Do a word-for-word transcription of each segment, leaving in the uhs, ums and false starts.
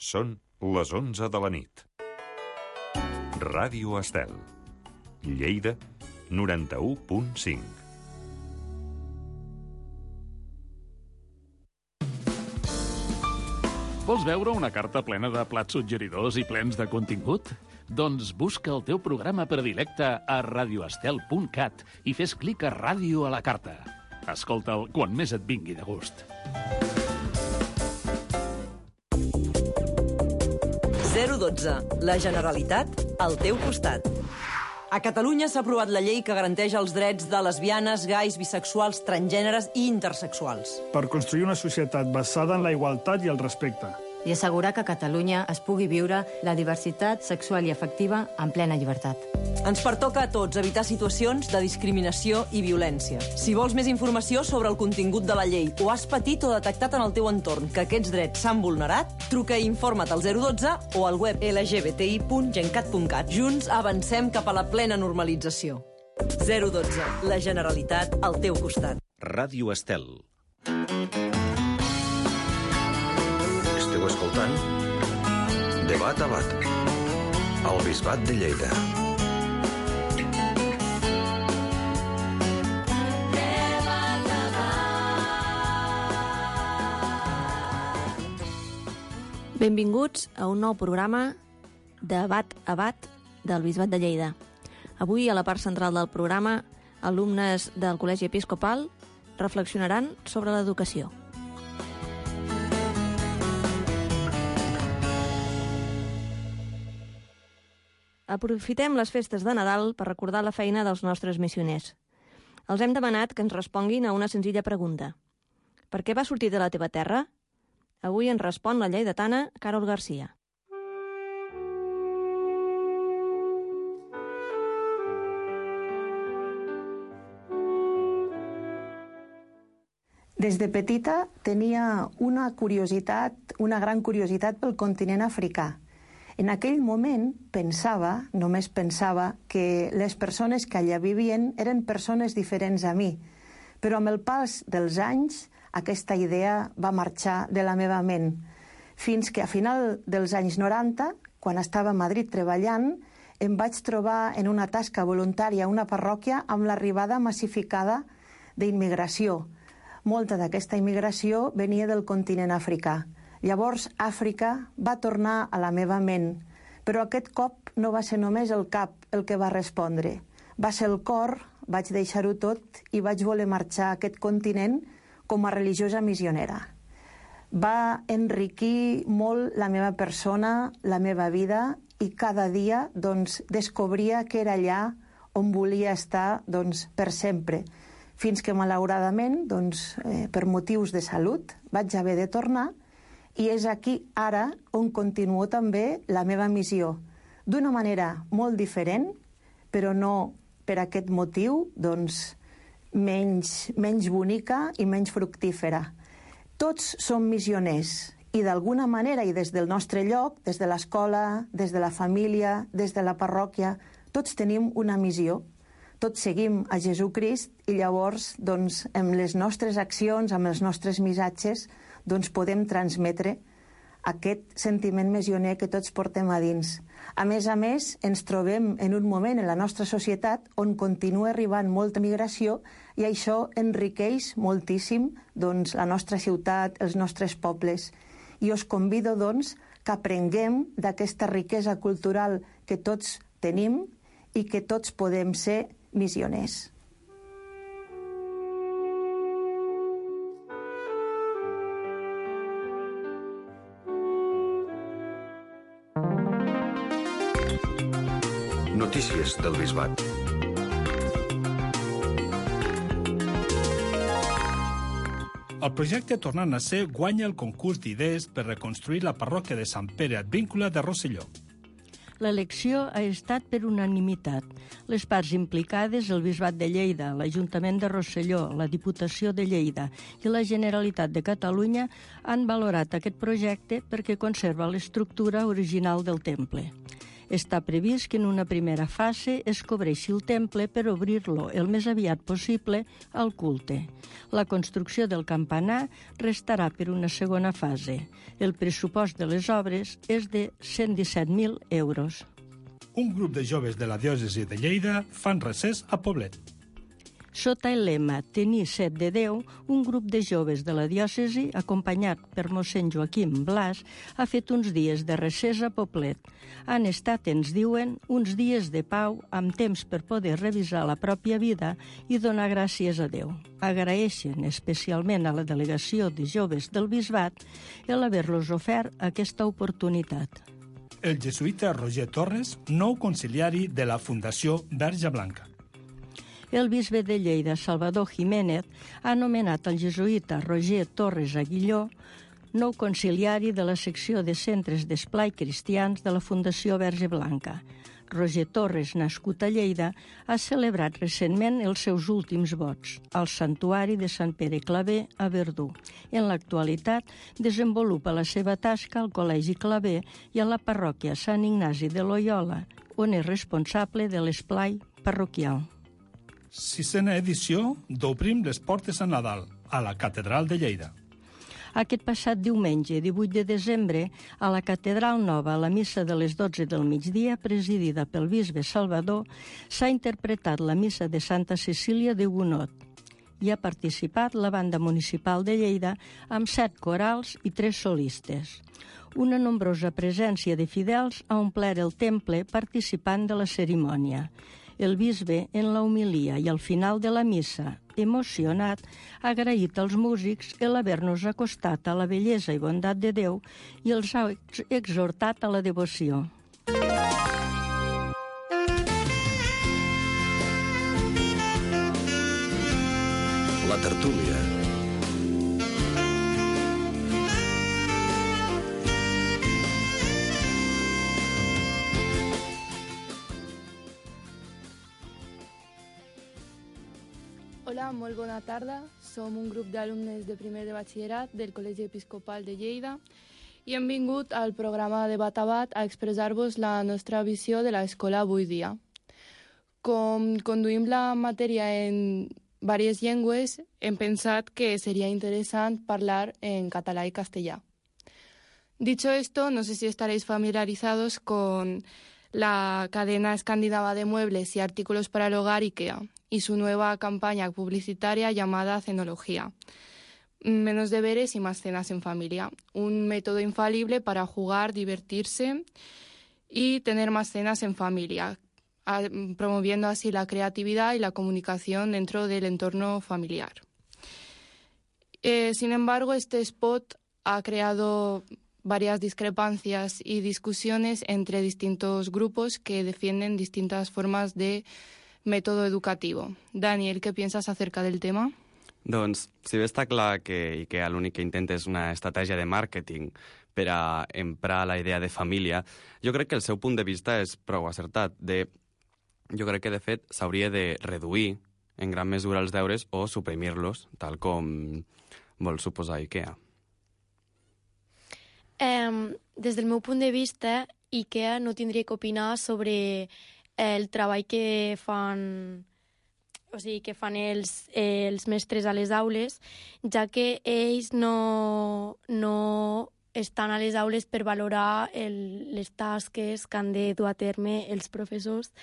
Són les onze de la nit. Ràdio Estel. Lleida, noranta-u punt cinc. Vols veure una carta plena de plats suggeridors i plens de contingut? Doncs busca el teu programa predilecte a radioestel punt cat i fes clic a Ràdio a la carta. Escolta'l quan més et vingui de gust. zero dotze. La Generalitat al teu costat. A Catalunya s'ha aprovat la llei que garanteix els drets de lesbianes, gais, bisexuals, transgèneres i intersexuals. Per construir una societat basada en la igualtat i el respecte. I assegurar que a Catalunya es pugui viure la diversitat sexual i afectiva en plena llibertat. Ens pertoca a tots evitar situacions de discriminació i violència. Si vols més informació sobre el contingut de la llei o has patit o detectat en el teu entorn que aquests drets s'han vulnerat, truca i informa't al zero dotze o al web l g b t i punt gencat punt cat. Junts avancem cap a la plena normalització. zero dotze. La Generalitat al teu costat. Ràdio Estel. Esteu escoltant Debat a Bat, al Bisbat de Lleida. Benvinguts a un nou programa Debat a Bat del Bisbat de Lleida. Avui, a la part central del programa, alumnes del Col·legi Episcopal reflexionaran sobre l'educació. Aprofitem les festes de Nadal per recordar la feina dels nostres missioners. Els hem demanat que ens responguin a una senzilla pregunta. Per què vas sortir de la teva terra? Avui ens respon la lleidatana Carol Garcia. Des de petita tenia una curiositat, una gran curiositat pel continent africà. En aquell moment pensava, només pensava, que les persones que allà vivien eren persones diferents a mi. Però amb el pas dels anys, aquesta idea va marxar de la meva ment. Fins que a final dels anys noranta, quan estava a Madrid treballant, em vaig trobar en una tasca voluntària a una parròquia amb l'arribada massificada d'immigració. Molta d'aquesta immigració venia del continent africà. Llavors, Àfrica va tornar a la meva ment, però aquest cop no va ser només el cap el que va respondre. Va ser el cor, vaig deixar-ho tot i vaig voler marxar a aquest continent com a religiosa missionera. Va enriquir molt la meva persona, la meva vida, i cada dia doncs, descobria que era allà on volia estar doncs, per sempre. Fins que, malauradament, doncs, eh, per motius de salut, vaig haver de tornar. I és aquí, ara, on continuo també la meva missió. D'una manera molt diferent, però no per aquest motiu, doncs, menys, menys bonica i menys fructífera. Tots som missioners i d'alguna manera i des del nostre lloc, des de l'escola, des de la família, des de la parròquia, tots tenim una missió. Tots seguim a Jesucrist i llavors, doncs, amb les nostres accions, amb els nostres missatges, doncs podem transmetre aquest sentiment missioner que tots portem a dins. A més a més, ens trobem en un moment en la nostra societat on continua arribant molta migració i això enriqueix moltíssim doncs, la nostra ciutat, els nostres pobles. I us convido doncs, que aprenguem d'aquesta riquesa cultural que tots tenim i que tots podem ser missioners. Notícies del Bisbat. El projecte Tornant a ser guanya el concurs d'idees per reconstruir la parròquia de Sant Pere Advíncula de Rosselló. L'elecció ha estat per unanimitat. Les parts implicades, el Bisbat de Lleida, l'Ajuntament de Rosselló, la Diputació de Lleida i la Generalitat de Catalunya han valorat aquest projecte perquè conserva l'estructura original del temple. Està previst que en una primera fase es cobreixi el temple per obrir-lo el més aviat possible al culte. La construcció del campanar restarà per una segona fase. El pressupost de les obres és de cent disset mil euros. Un grup de joves de la diòcesi de Lleida fan recés a Poblet. Sota el lema Tenir set de Déu, un grup de joves de la diòcesi, acompanyat per mossèn Joaquim Blas, ha fet uns dies de recés a Poblet. Han estat, ens diuen, uns dies de pau amb temps per poder revisar la pròpia vida i donar gràcies a Déu. Agraeixen especialment a la delegació de joves del Bisbat el haver-los ofert aquesta oportunitat. El jesuïta Roger Torres, nou conciliari de la Fundació Verge Blanca. El bisbe de Lleida, Salvador Jiménez, ha nomenat el jesuïta Roger Torres Aguilló nou conciliari de la secció de centres d'esplai cristians de la Fundació Verge Blanca. Roger Torres, nascut a Lleida, ha celebrat recentment els seus últims vots al santuari de Sant Pere Claver a Verdú. En l'actualitat, desenvolupa la seva tasca al Col·legi Claver i a la parròquia Sant Ignasi de Loyola, on és responsable de l'esplai parroquial. Sisena edició d'Obrim les portes a Nadal, a la Catedral de Lleida. Aquest passat diumenge, divuit de desembre, a la Catedral Nova, a la missa de les dotze del migdia, presidida pel bisbe Salvador, s'ha interpretat la missa de Santa Cecília de Gonot. Hi ha participat la banda municipal de Lleida amb set corals i tres solistes. Una nombrosa presència de fidels ha omplert el temple participant de la cerimònia. El bisbe, en la homilia i al final de la missa, emocionat, ha agraït als músics el haver-nos acostat a la bellesa i bondat de Déu i els ha exhortat a la devoció. La tertúlia. Hola, molt bona tarda. Som un grup d'alumnes de primer de batxillerat del Col·legi Episcopal de Lleida i hem vingut al programa Debat a Bat a expressar-vos la nostra visió de l'escola avui dia. Com conduïm la matèria en diverses llengües, hem pensat que seria interessant parlar en català y castellà. Dicho esto, no sé si estaréis familiarizados con la cadena escandinava de muebles y artículos para el hogar IKEA y su nueva campaña publicitaria llamada Cenología. Menos deberes y más cenas en familia. Un método infalible para jugar, divertirse y tener más cenas en familia, promoviendo así la creatividad y la comunicación dentro del entorno familiar. Eh, sin embargo, este spot ha creado varias discrepancias y discusiones entre distintos grupos que defienden distintas formas de método educativo. Daniel, ¿qué piensas acerca del tema? Doncs, si bé està clar que IKEA l'únic que intenta és una estratègia de màrqueting per a emprar la idea de família, jo crec que el seu punt de vista és prou acertat. De, jo crec que, de fet, s'hauria de reduir en gran mesura els deures o suprimir-los, tal com vol suposar IKEA. Um, des del meu punt de vista, IKEA no tindria que opinar sobre el treball que fan, o sigui, que fan els, els mestres a les aules, ja que ells no, no estan a les aules per valorar el, les tasques que han de dur a terme els professors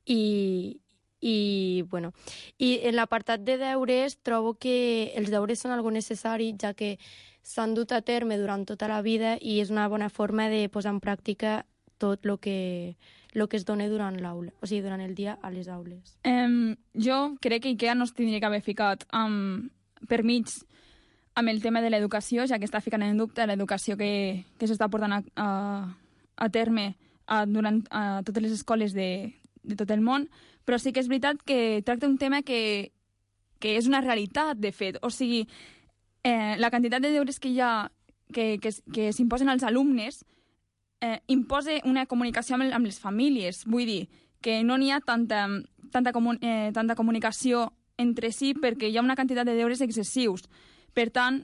i, i, bueno, i en l'apartat de deures trobo que els deures són algo necessari, ja que s'han dut a terme durant tota la vida i és una bona forma de posar en pràctica tot el que, lo que es dona durant l'aula, o sigui, durant el dia a les aules. Um, jo crec que IKEA no es tindria que haver ficat um, per mig amb el tema de l'educació, ja que està ficant en dubte l'educació que, que s'està portant a, a, a terme a, durant a totes les escoles de, de tot el món, però sí que és veritat que tracta un tema que, que és una realitat, de fet. O sigui, eh, la quantitat de deures que hi ha que, que, que s'imposen als alumnes eh, imposa una comunicació amb, amb les famílies. Vull dir que no n'hi ha tanta, tanta, comun, eh, tanta comunicació entre si perquè hi ha una quantitat de deures excessius. Per tant,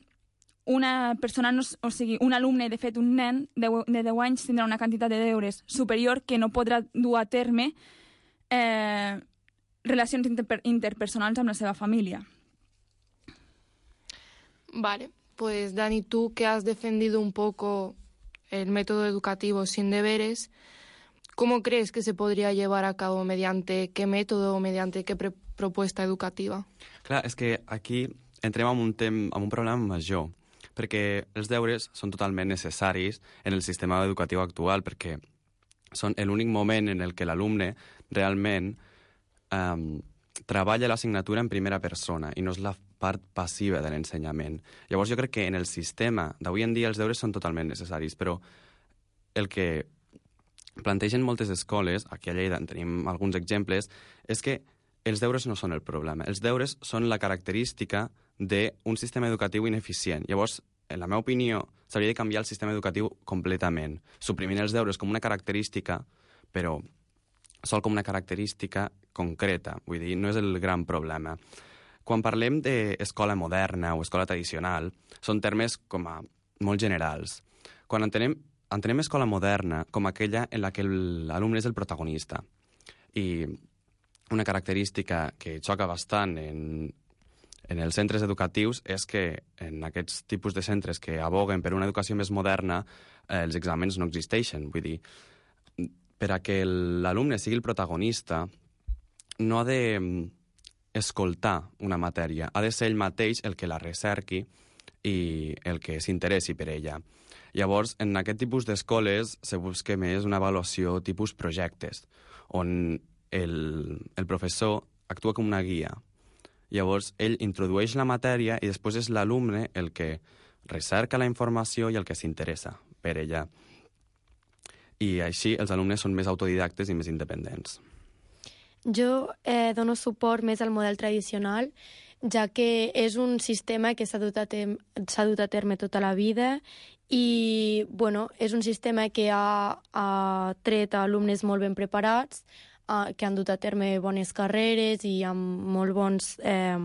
una persona, no, o sigui, un alumne, de fet, un nen de, de deu anys tindrà una quantitat de deures superior que no podrà dur a terme eh, relacions inter interpersonals amb la seva família. Vale, pues Dani, tú que has defendido un poco el método educativo sin deberes, ¿cómo crees que se podría llevar a cabo? ¿Mediante qué método o mediante qué propuesta educativa? Clar, és que aquí entrem en un, tem en un problema major, perquè els deures són totalment necessaris en el sistema educatiu actual, perquè són l'únic moment en el que l'alumne realment um, treballa l'assignatura en primera persona i no és la part passiva de l'ensenyament. Llavors jo crec que en el sistema d'avui en dia els deures són totalment necessaris, però el que plantegen moltes escoles, aquí a Lleida en tenim alguns exemples, és que els deures no són el problema. Els deures són la característica d'un sistema educatiu ineficient. Llavors, en la meva opinió, s'hauria de canviar el sistema educatiu completament, suprimint els deures com una característica, però sol com una característica concreta. Vull dir, no és el gran problema. Quan parlem d'escola moderna o escola tradicional, són termes com a molt generals. Quan entenem, entenem escola moderna com aquella en la que l'alumne és el protagonista. I una característica que xoca bastant en, en els centres educatius és que en aquests tipus de centres que aboguen per una educació més moderna, eh, els exàmens no existeixen. Vull dir, per a que l'alumne sigui el protagonista, no ha de escoltar una matèria, ha de ser ell mateix el que la recerqui i el que s'interessi per ella. Llavors, en aquest tipus d'escoles se busca més una avaluació tipus projectes, on el, el professor actua com una guia. Llavors, ell introdueix la matèria i després és l'alumne el que recerca la informació i el que s'interessa per ella. I així els alumnes són més autodidactes i més independents. Jo eh, dono suport més al model tradicional, ja que és un sistema que s'ha dut, dut a terme tota la vida i bueno, és un sistema que ha, ha tret alumnes molt ben preparats, eh, que han dut a terme bones carreres i amb molt bons, eh,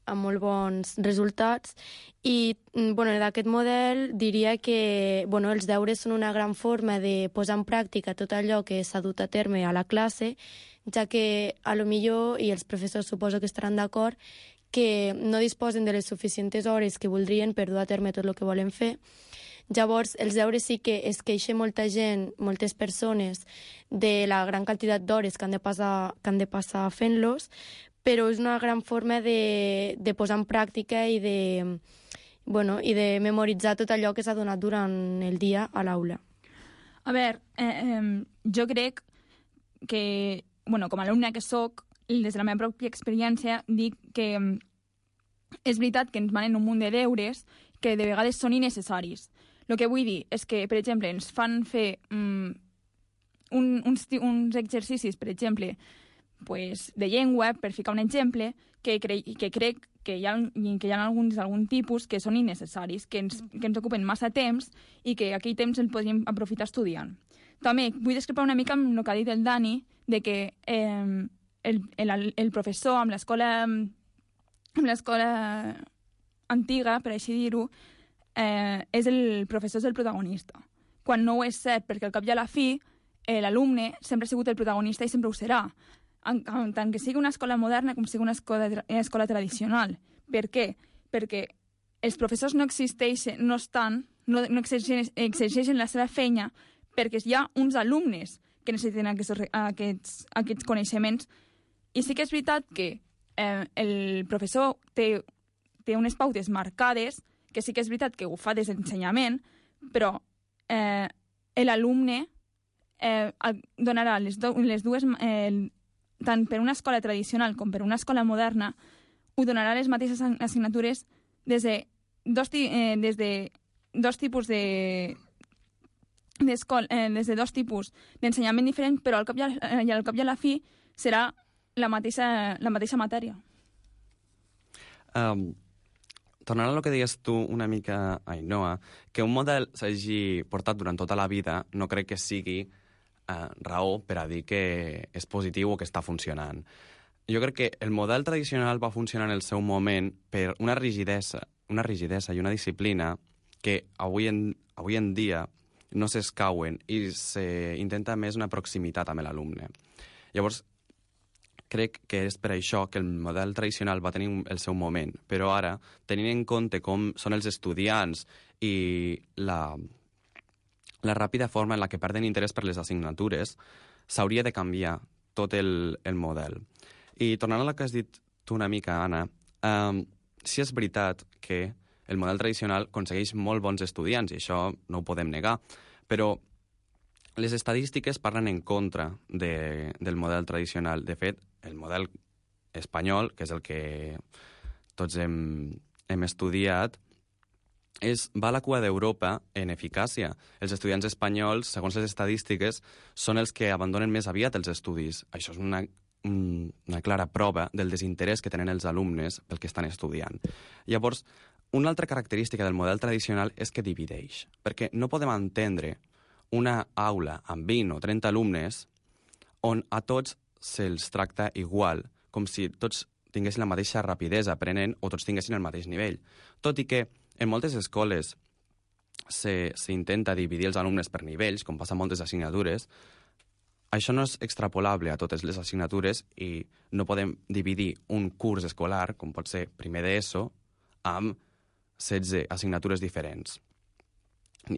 amb molt bons resultats. I bueno, d'aquest model diria que bueno, els deures són una gran forma de posar en pràctica tot allò que s'ha dut a terme a la classe, ja que a lo millor, i els professors suposo que estaran d'acord, que no disposen de les suficients hores que voldrien per dur a terme tot el que volen fer. Llavors, els deures sí que es queixa molta gent, moltes persones, de la gran quantitat d'hores que han de passar, que han de passar fent-los, però és una gran forma de, de posar en pràctica i de, bueno, i de memoritzar tot allò que s'ha donat durant el dia a l'aula. A veure, eh, eh, jo crec que, bueno, com a alumne que soc, des de la meva pròpia experiència, dic que és veritat que ens manen un munt de deures que de vegades són innecessaris. El que vull dir és que, per exemple, ens fan fer um, un, uns, uns exercicis, per exemple, pues, de llengua, per ficar un exemple, que, cre que crec que hi ha, que hi ha alguns algun tipus que són innecessaris, que ens, que ens ocupen massa temps i que aquell temps el podríem aprofitar estudiant. També vull discrepar una mica amb el que ha dit el Dani, de que eh, el, el, el professor amb l'escola amb l'escola antiga, per així dir-ho, eh, és el professor és el protagonista. Quan no ho és cert, perquè al cap i a la fi eh, l'alumne sempre ha sigut el protagonista i sempre ho serà, en, en tant que sigui una escola moderna com sigui una escola, una escola tradicional. Per què? Perquè els professors no existeixen, no estan, no, no exerceixen, exerceixen la seva feina perquè hi ha uns alumnes que necessiten aquests, aquests, aquests coneixements. I sí que és veritat que eh, el professor té, té unes pautes marcades, que sí que és veritat que ho fa des d'ensenyament, però eh, l'alumne eh, donarà les, do, les dues, eh, tant per una escola tradicional com per una escola moderna, ho donarà les mateixes assignatures des de dos, eh, des de dos tipus de... Eh, des de dos tipus d'ensenyament diferent, però al cap i, a, i al cap i a la fi serà la mateixa, la mateixa matèria. Um, tornant a lo que deies tu una mica, Ainhoa, que un model s'hagi portat durant tota la vida no crec que sigui uh, raó per a dir que és positiu o que està funcionant. Jo crec que el model tradicional va funcionar en el seu moment per una rigidesa una rigidesa i una disciplina que avui en, avui en dia no s'escauen i s'intenta més una proximitat amb l'alumne. Llavors, crec que és per això que el model tradicional va tenir el seu moment, però ara, tenint en compte com són els estudiants i la, la ràpida forma en la que perden interès per les assignatures, s'hauria de canviar tot el, el model. I tornant a la que has dit tu una mica, Anna, um, sí és veritat que el model tradicional aconsegueix molt bons estudiants, i això no ho podem negar, però les estadístiques parlen en contra de, del model tradicional. De fet, el model espanyol, que és el que tots hem, hem estudiat, és, va a la cua d'Europa en eficàcia. Els estudiants espanyols, segons les estadístiques, són els que abandonen més aviat els estudis. Això és una, una clara prova del desinterès que tenen els alumnes pel que estan estudiant. Llavors, una altra característica del model tradicional és que divideix, perquè no podem entendre una aula amb vint o trenta alumnes on a tots se'ls tracta igual, com si tots tinguessin la mateixa rapidesa aprenent o tots tinguessin el mateix nivell. Tot i que en moltes escoles s'intenta dividir els alumnes per nivells, com passa en moltes assignatures, això no és extrapolable a totes les assignatures i no podem dividir un curs escolar, com pot ser primer d'ESO, amb setze assignatures diferents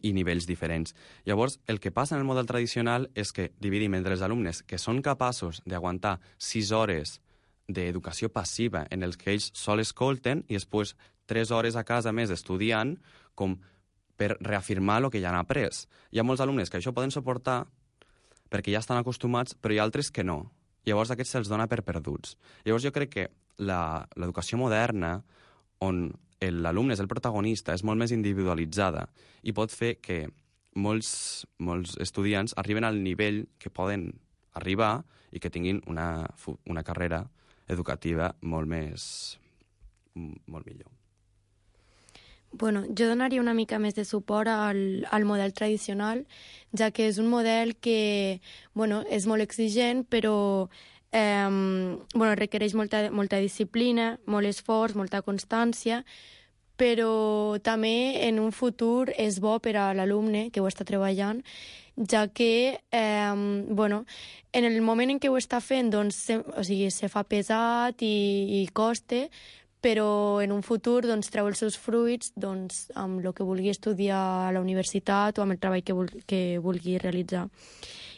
i nivells diferents. Llavors, el que passa en el model tradicional és que dividim entre els alumnes que són capaços d'aguantar sis hores d'educació passiva en els que ells sol escolten i després tres hores a casa més estudiant com per reafirmar el que ja han après. Hi ha molts alumnes que això poden suportar perquè ja estan acostumats, però hi ha altres que no. Llavors aquests se'ls dona per perduts. Llavors jo crec que l'educació moderna, on l'alumne és el protagonista, és molt més individualitzada i pot fer que molts, molts estudiants arriben al nivell que poden arribar i que tinguin una, una carrera educativa molt més molt millor. Bueno, jo donaria una mica més de suport al, al model tradicional, ja que és un model que, bueno, és molt exigent, però eh, bueno, requereix molta, molta disciplina, molt esforç, molta constància, però també en un futur és bo per a l'alumne que ho està treballant, ja que eh, bueno, en el moment en què ho està fent doncs, se, o sigui, se fa pesat i, i costa, però en un futur doncs, treu els seus fruits doncs, amb el que vulgui estudiar a la universitat o amb el treball que, vul que vulgui realitzar.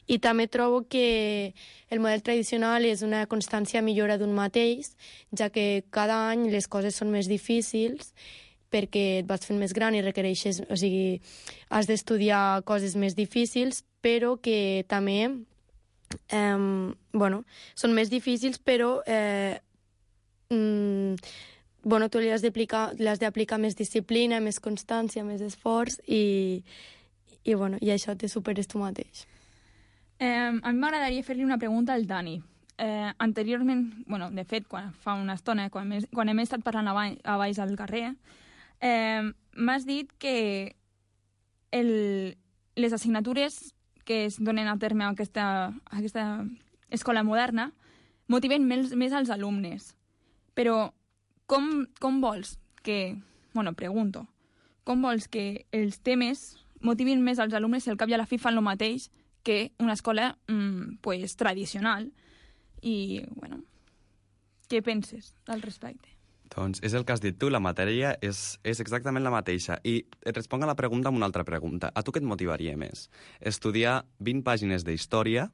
I també trobo que el model tradicional és una constància millora d'un mateix, ja que cada any les coses són més difícils perquè et vas fent més gran i requereixes, o sigui, has d'estudiar coses més difícils, però que també eh, bueno, són més difícils, però eh, mm, bueno, tu li has d'aplicar més disciplina, més constància, més esforç i, i, bueno, i això te superes tu mateix. Eh, a mi m'agradaria fer-li una pregunta al Dani. Eh, anteriorment, bueno, de fet, quan, fa una estona, quan, hem, quan hem estat parlant a baix, a baix al carrer, eh, m'has dit que el, les assignatures que es donen a terme a aquesta, a aquesta escola moderna motiven més, més als alumnes. Però com, com vols que... Bueno, pregunto. Com vols que els temes motivin més als alumnes si al cap i a la fi fan el mateix que una escola mmm, pues, tradicional? I, bueno, què penses al respecte? Doncs és el que has dit tu, la matèria és, és exactament la mateixa. I et responc a la pregunta amb una altra pregunta. A tu què et motivaria més? Estudiar vint pàgines d'història,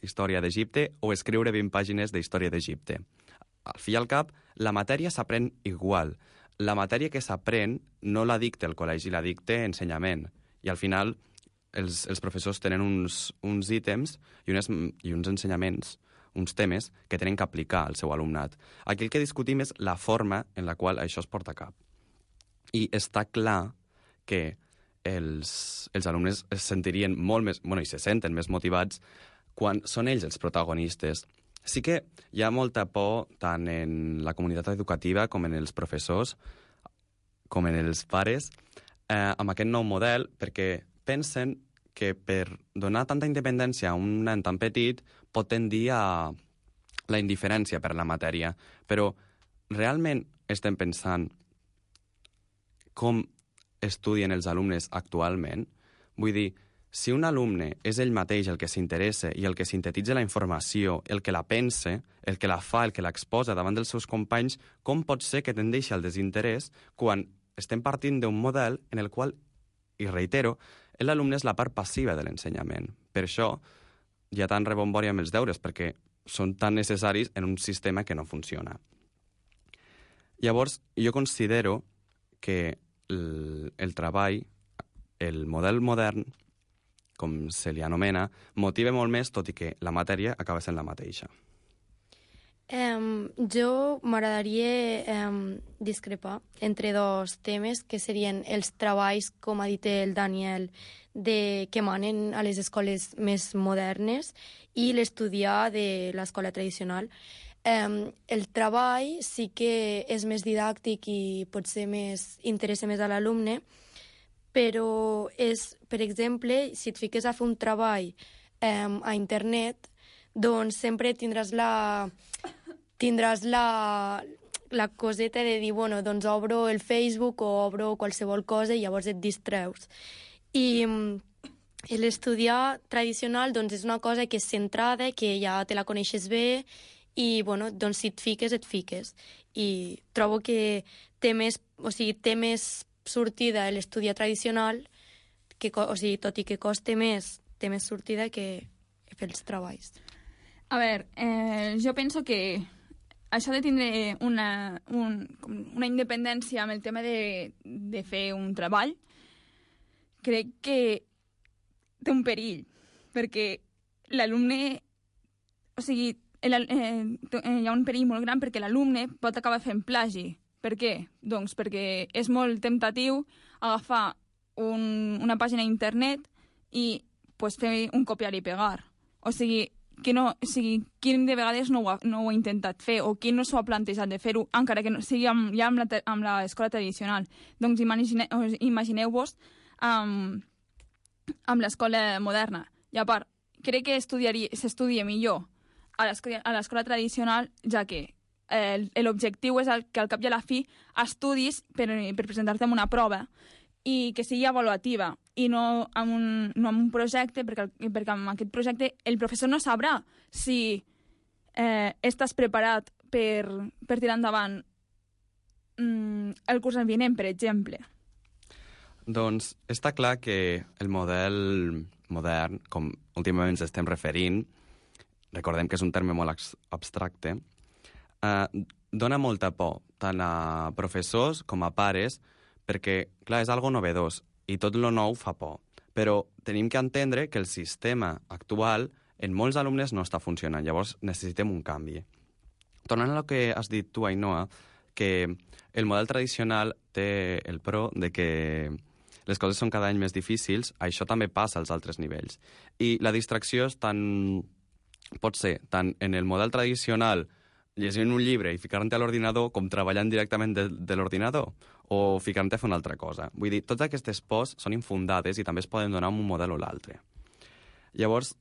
història d'Egipte, o escriure vint pàgines d'història d'Egipte? Al fi i al cap, la matèria s'aprèn igual. La matèria que s'aprèn no la dicta el col·legi, la dicta ensenyament. I al final els, els professors tenen uns, uns ítems i, unes, i uns ensenyaments, uns temes que tenen que aplicar al seu alumnat. Aquí el que discutim és la forma en la qual això es porta a cap. I està clar que els, els alumnes es sentirien molt més, bueno, i se senten més motivats quan són ells els protagonistes. Sí que hi ha molta por tant en la comunitat educativa com en els professors, com en els pares, eh, amb aquest nou model, perquè pensen que per donar tanta independència a un nen tan petit pot tendir a la indiferència per la matèria. Però realment estem pensant com estudien els alumnes actualment. Vull dir, si un alumne és ell mateix el que s'interessa i el que sintetitza la informació, el que la pensa, el que la fa, el que l'exposa davant dels seus companys, com pot ser que tendeixi al desinterès quan estem partint d'un model en el qual, i reitero, l'alumne és la part passiva de l'ensenyament. Per això hi ha tant rebombori amb els deures, perquè són tan necessaris en un sistema que no funciona. Llavors, jo considero que el, el treball, el model modern, com se li anomena, motiva molt més, tot i que la matèria acaba sent la mateixa. Um, jo m'agradaria um, discrepar entre dos temes, que serien els treballs, com ha dit el Daniel, de, que manen a les escoles més modernes, i l'estudiar de l'escola tradicional. Um, el treball sí que és més didàctic i potser més, interessa més a l'alumne, però és, per exemple, si et fiques a fer un treball um, a internet, doncs sempre tindràs la, tindràs la, la coseta de dir, bueno, doncs obro el Facebook o obro qualsevol cosa i llavors et distreus. I um, l'estudiar tradicional doncs, és una cosa que és centrada, que ja te la coneixes bé i, bueno, doncs si et fiques, et fiques. I trobo que té més, o sigui, té més sortida l'estudiar tradicional, que, o sigui, tot i que coste més, té més sortida que fer els treballs. A veure, eh, jo penso que això de tindre una, un, una independència amb el tema de, de fer un treball, crec que té un perill, perquè l'alumne, o sigui, el, eh, hi ha un perill molt gran perquè l'alumne pot acabar fent plagi. Per què? Doncs perquè és molt temptatiu agafar un, una pàgina d'internet i pues, fer un copiar i pegar. O sigui, que no, o sigui, qui de vegades no ho, ha, no ho ha intentat fer o qui no s'ho ha plantejat de fer-ho, encara que no sigui amb, ja amb, la, amb l'escola tradicional. Doncs imagine, imagineu-vos um, amb l'escola moderna. I a part, crec que s'estudia millor a l'escola tradicional, ja que l'objectiu és el, que al cap i a la fi estudis per, per presentar-te en una prova i que sigui avaluativa i no amb un, no amb un projecte, perquè, perquè amb aquest projecte el professor no sabrà si eh, estàs preparat per, per tirar endavant mm, el curs vinent, per exemple. Doncs està clar que el model modern, com últimament ens estem referint, recordem que és un terme molt abstracte, Uh, dona molta por, tant a professors com a pares, perquè, clar, és algo novedós i tot lo nou fa por. Però tenim que entendre que el sistema actual en molts alumnes no està funcionant, llavors necessitem un canvi. Tornant a lo que has dit tu, Ainhoa, que el model tradicional té el pro de que les coses són cada any més difícils, això també passa als altres nivells. I la distracció és tan... pot ser tant en el model tradicional llegint un llibre i ficar-te a l'ordinador com treballant directament de, de l'ordinador o ficar-te a fer una altra cosa. Vull dir, totes aquestes pors són infundades i també es poden donar amb un model o l'altre. Llavors,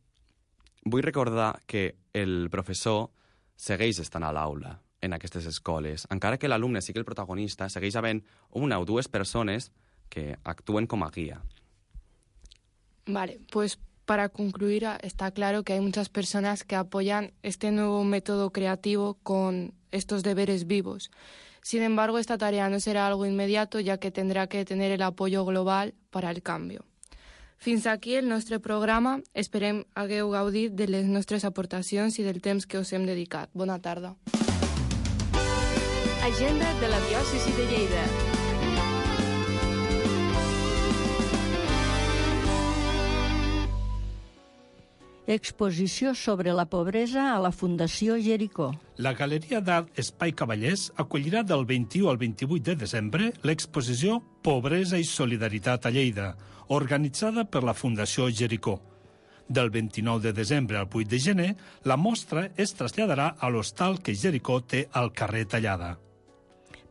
vull recordar que el professor segueix estant a l'aula en aquestes escoles. Encara que l'alumne sigui el protagonista, segueix havent una o dues persones que actuen com a guia. Vale, pues para concluir, está claro que hay muchas personas que apoyan este nuevo método creativo con estos deberes vivos. Sin embargo, esta tarea no será algo inmediato, ya que tendrá que tener el apoyo global para el cambio. Fins aquí el nostre programa. Esperem hagueu gaudit de les nostres aportacions i del temps que us hem dedicat. Bona tarda. Agenda de la diòcesi de Lleida. Exposició sobre la pobresa a la Fundació Jericó. La Galeria d'Art Espai Cavallers acollirà del vint-i-u al vint-i-vuit de desembre l'exposició Pobresa i Solidaritat a Lleida, organitzada per la Fundació Jericó. Del vint-i-nou de desembre al vuit de gener, la mostra es traslladarà a l'hostal que Jericó té al carrer Tallada.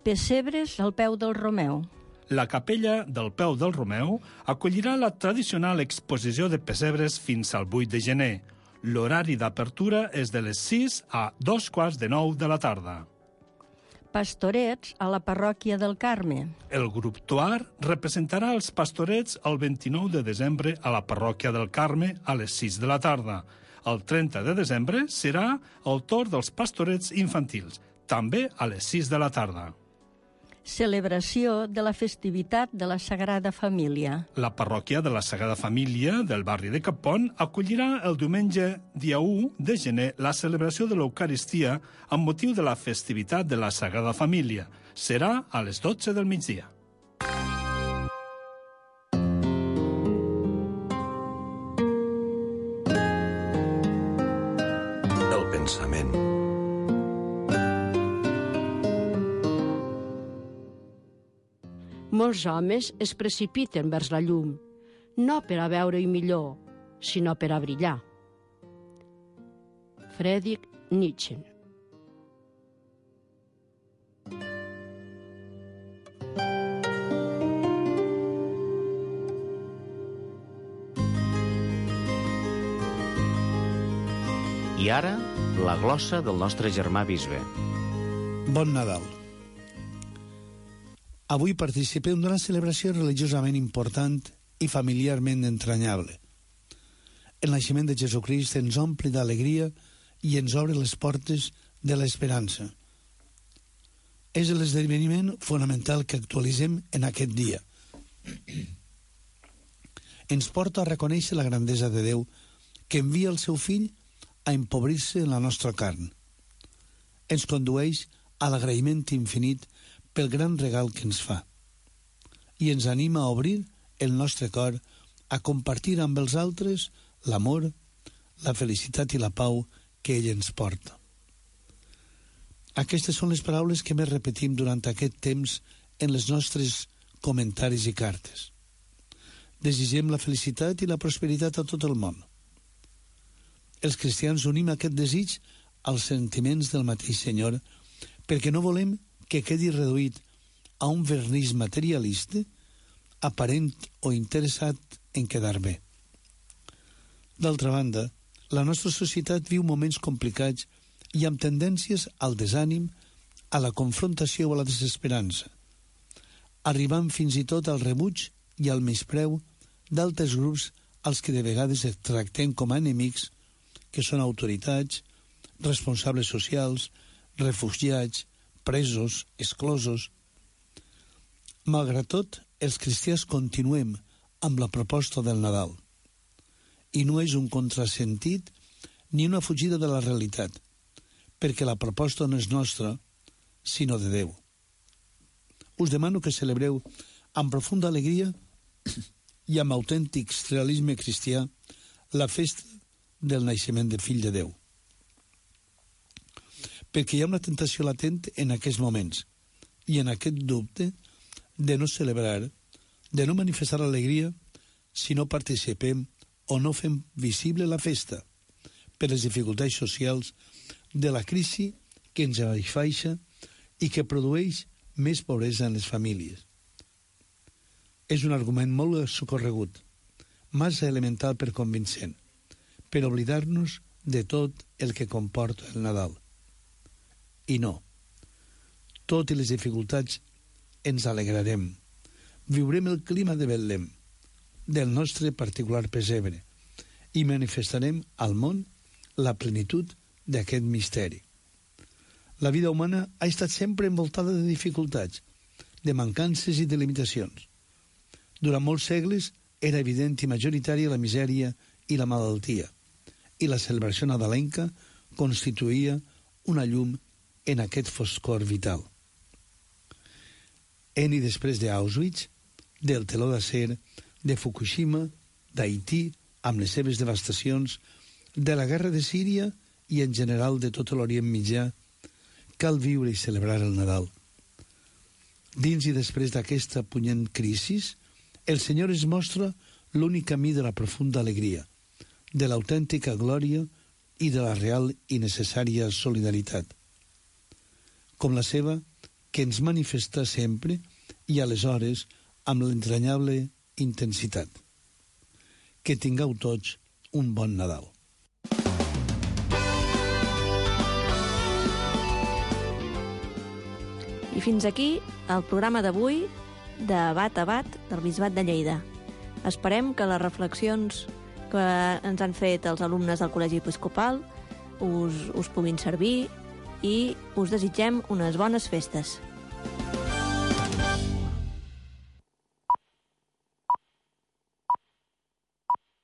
Pessebres al peu del Romeu. La capella del Peu del Romeu acollirà la tradicional exposició de pessebres fins al vuit de gener. L'horari d'apertura és de les sis a dos quarts de nou de la tarda. pastorets a la parròquia del Carme. El grup Tuar representarà els pastorets el vint-i-nou de desembre a la parròquia del Carme a les sis de la tarda. El trenta de desembre serà el torn dels pastorets infantils, també a les sis de la tarda. Celebració de la festivitat de la Sagrada Família. La parròquia de la Sagrada Família del barri de Capon acollirà el diumenge dia u de gener la celebració de l'Eucaristia amb motiu de la festivitat de la Sagrada Família. Serà a les dotze del migdia. El pensament. Molts homes es precipiten vers la llum, no per a veure-hi millor, sinó per a brillar. Friedrich Nietzsche. I ara, la glossa del nostre germà bisbe. Bon Nadal. Avui participem d'una celebració religiosament important i familiarment entranyable. El naixement de Jesucrist ens omple d'alegria i ens obre les portes de l'esperança. És l'esdeveniment fonamental que actualitzem en aquest dia. Ens porta a reconèixer la grandesa de Déu que envia el seu fill a empobrir-se en la nostra carn. Ens condueix a l'agraïment infinit pel gran regal que ens fa, i ens anima a obrir el nostre cor a compartir amb els altres l'amor, la felicitat i la pau que ell ens porta. Aquestes són les paraules que més repetim durant aquest temps en les nostres comentaris i cartes. Desitgem la felicitat i la prosperitat a tot el món. Els cristians unim aquest desig als sentiments del mateix Senyor perquè no volem que quedi reduït a un vernís materialista, aparent o interessat en quedar bé. D'altra banda, la nostra societat viu moments complicats i amb tendències al desànim, a la confrontació o a la desesperança, arribant fins i tot al rebuig i al menyspreu d'altres grups als que de vegades es tractem com a enemics, que són autoritats, responsables socials, refugiats, presos, exclosos. Malgrat tot, els cristians continuem amb la proposta del Nadal. I no és un contrasentit ni una fugida de la realitat, perquè la proposta no és nostra, sinó de Déu. Us demano que celebreu amb profunda alegria i amb autèntic realisme cristià la festa del naixement del Fill de Déu. Perquè hi ha una tentació latent en aquests moments i en aquest dubte de no celebrar, de no manifestar alegria si no participem o no fem visible la festa per les dificultats socials de la crisi que ens afaixa i que produeix més pobresa en les famílies. És un argument molt socorregut, massa elemental per convincent, per oblidar-nos de tot el que comporta el Nadal. I no. Tot i les dificultats ens alegrarem. Viurem el clima de Betlem, del nostre particular pesebre, i manifestarem al món la plenitud d'aquest misteri. La vida humana ha estat sempre envoltada de dificultats, de mancances i de limitacions. Durant molts segles era evident i majoritària la misèria i la malaltia, i la celebració nadalenca constituïa una llum en aquest foscor vital. En i després d'Auschwitz, del teló d'acer, de Fukushima, d'Haití, amb les seves devastacions, de la guerra de Síria i en general de tot l'Orient Mitjà, cal viure i celebrar el Nadal. Dins i després d'aquesta punyent crisi, el Senyor es mostra l'únic camí de la profunda alegria, de l'autèntica glòria i de la real i necessària solidaritat, com la seva, que ens manifesta sempre i aleshores amb l'entranyable intensitat. Que tingueu tots un bon Nadal. I fins aquí el programa d'avui de Bat a Bat del Bisbat de Lleida. Esperem que les reflexions que ens han fet els alumnes del Col·legi Episcopal us, us puguin servir i us desitgem unes bones festes.